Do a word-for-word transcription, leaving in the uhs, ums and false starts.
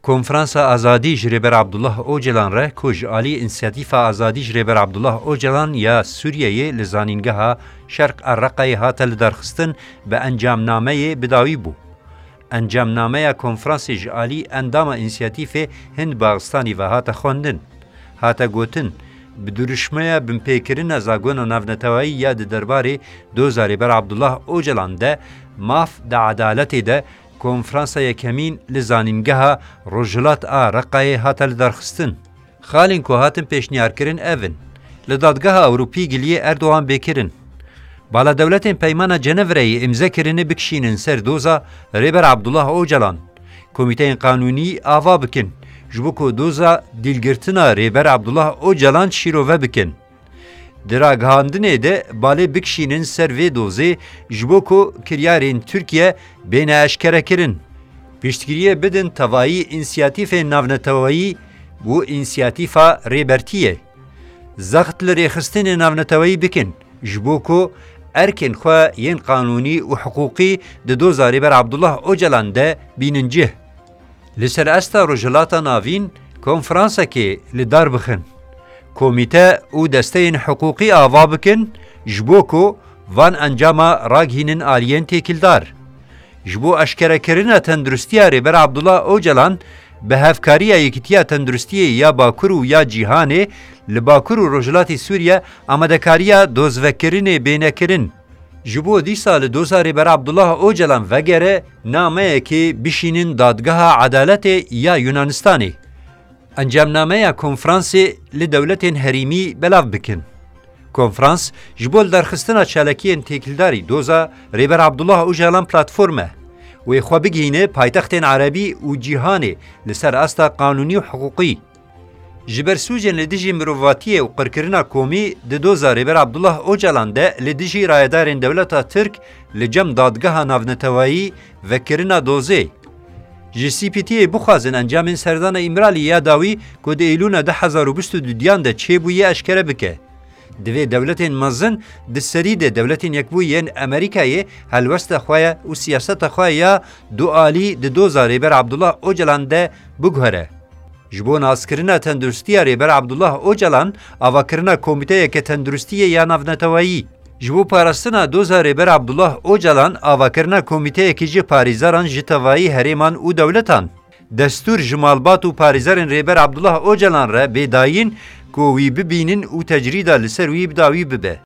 Konferansa Azadî ji Rêber Abdullah Ocalan re ku ji alî Însiyatîfa Azadî ji Rêber Abdullah Ocalan ya Sûriyeyê li zanîngeha Şerq a Reqayê hate lidarxistin, bi encamnameyê bi dawî bû. Encamnameya konferansê ji alî endama Însiyatîfê Hind Baxistanî ve hate xwendin. Hate gotin, bi dirûşmeya binpêkirina zagona navnetewayî ya di derbarê doza Rêber Abdullah Ocalan de maf di edaletê de konferansa yekemîn li zanîngeha Rojhilat a Reqayê hate lidarxistin. Xalên ku hatin pêşniyarkirin ev in: li Dadgeha Ewropî giliyê Erdogan bê kirin. Bala dewletên Peymana Cenevreyê îmze kirine bikişînin ser doza Rêber Abdullah Ocalan. Komîteyên qanûnî ava bikin, ji bo ku doza dîlgirtina Rêber Abdullah Ocalan şîrove bikin. Di ragihandinê de balê bikişînin ser vê dozê, ji bo ku kiryarên Tirkiye bêne eşkerekirin. Piştgiriyê bidin tevayî însiyatîfên navneteweyî û însiyatîfa Rêbertiyê. Zext li rêxistinên navneteweyî bikin, ji bo ku erkên xwe yên qanûnî û hiqûqî di doza Rêber Abdullah Ocalan de bînin cih. Li ser asta Rojhilata Navîn konferansekê li dar bixin. Komîte û desteyên hiqûqî ava bikin, ji bo ku van encama ragihînin aliyên têkildar. Ji bo eşkerekirina tenduristiya Rêber Abdullah Ocalan, bi hevkariya Yekîtiya Tenduristiyê ya Bakur û ya Cîhanê, li Bakur û Rojhilatê Sûriye amadekariya dozvekirinê bêne kirin. Ji bo dîsa li doza Rêber Abdullah Ocalan vegere, nameyekê bişînin Dadgeha Edaletê ya Yunanistanê. Encamnameya konferansê li dewletên herêmî belav bikin. Konferans ji bo lidarxistina çalakiyên têkildarî doza Rêber Abdullah Ocalan platform e. Wê xwe bigihîne paytextên erebî û cîhanê li ser asta qanûnî û hiqûqî. Ji ber sûcên li dijî mirovatiyê û qirkirina komî di doza Rêber Abdullah Ocalan de li dijî rayedarên dewleta Tirk li cem Dadgeha Navneteweyî vekirina dozê. Ji C P T'yê bixwazin encamên serdana Îmralî ya dawî ku di Eylûna du hezar û bîst û duyan de çêbûye eşkere bike. Divê dewletên mezin di serî de Dewletên Yekbûyî yên Amerîkayê helwesta xwe û siyaseta xwe ya dualî di doza Rêber Abdullah Ocalan de biguhere. Ji bo naskirina tenduristiya Rêber Abdullah Ocalan, avakirina komîteyeke tenduristiyê ya navneteweyî. Ji bo parastina doza Rêber Abdullah Ocalan, avakirina komîteyekî ji parêzeran ji tevayî herêman û dewletan. Destûr ji malbat û parêzerên Rêber Abdullah Ocalan re bê dayîn ku wî bibînin û tecrîda li ser wî bi dawî bibe.